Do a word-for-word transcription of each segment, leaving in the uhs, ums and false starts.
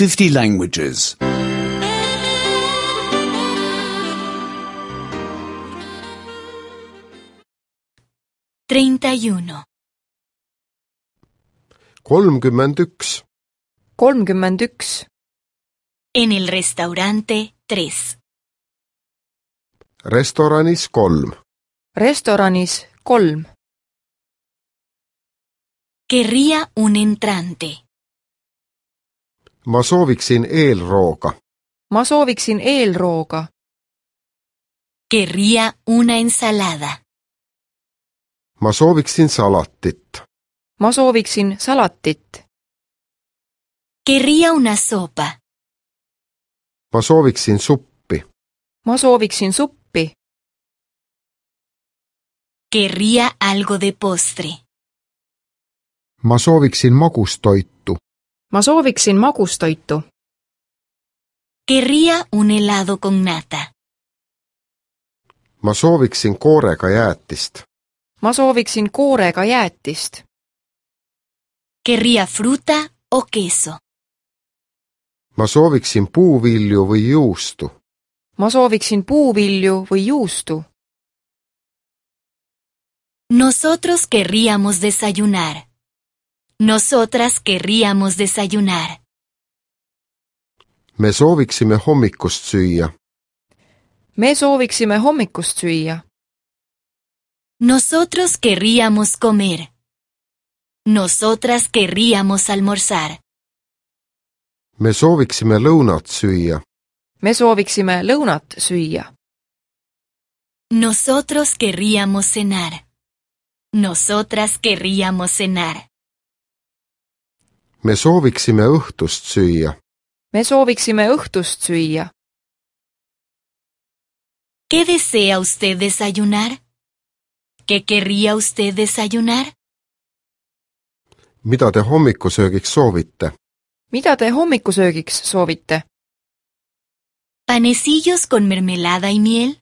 fifty languages. treinta y uno. kolmkümmend üks. kolmkümmend üks. En el restaurante tres. Restoranis kolm. Restoranis kolm. Querría un entrante. Ma sooviksin eelrooga. Ma sooviksin eelrooga. Querría una ensalada. Ma sooviksin salatit. Ma sooviksin salatit. Querría una sopa. Ma sooviksin suppi. Ma sooviksin suppi. Querría algo de postre. Ma sooviksin magustoitu. Ma sooviksin magustoitu. Querría un helado con nata. Ma sooviksin koorega jäätist. Ma sooviksin koorega jäätist. Querría fruta o queso. Ma sooviksin puuvilju või juustu. Ma sooviksin puuvilju või juustu. Nosotros querríamos desayunar. Nosotras querríamos desayunar. Me sooviksime hommikust süüa. Me sooviksime hommikust süüa. Nosotros querríamos comer. Nosotras querríamos almorzar. Me sooviksime lõunat süüa. Me sooviksime lõunat süüa. Nosotros querríamos cenar. Nosotras querríamos cenar. Me sooviksime õhtust süüa. Me sooviksime õhtust süüa. ¿Qué desea usted desayunar? ¿Qué querría usted desayunar? Mida te hommikusöögiks soovite? Mida te hommikusöögiks soovite? ¿Panecillos con mermelada y miel?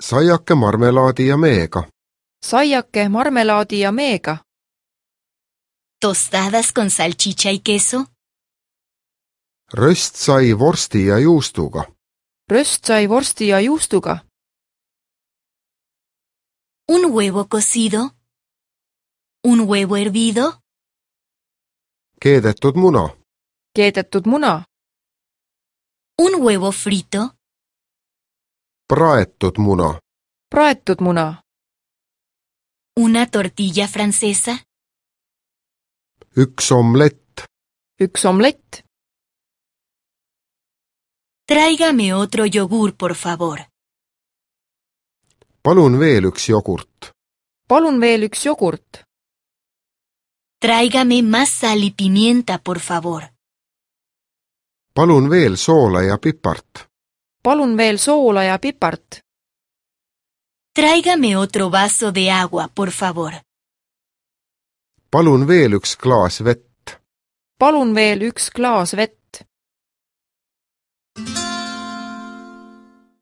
Saiake marmelaadi ja meega. Saiake marmelaadi ja meega. ¿Tostadas con salchicha y queso? Röstsai vorsti ja juustuga. Röstsai vorsti ja juustuga. ¿Un huevo cocido? ¿Un huevo hervido? Keedetud muna. Keedetud muna. ¿Un huevo frito? Praetud muna. Praetud muna. ¿Una tortilla francesa? Üks omlett. Üks omlett. Tráigame otro yogur, por favor. Palun veel üks jogurt. Palun veel üks jogurt. Tráigame más sal y pimienta, por favor. Palun veel soola ja pipart. Palun veel soola ja pipart. Tráigame otro vaso de agua, por favor. Palun veel üks klaas vett. Palun veel üks klaas vett.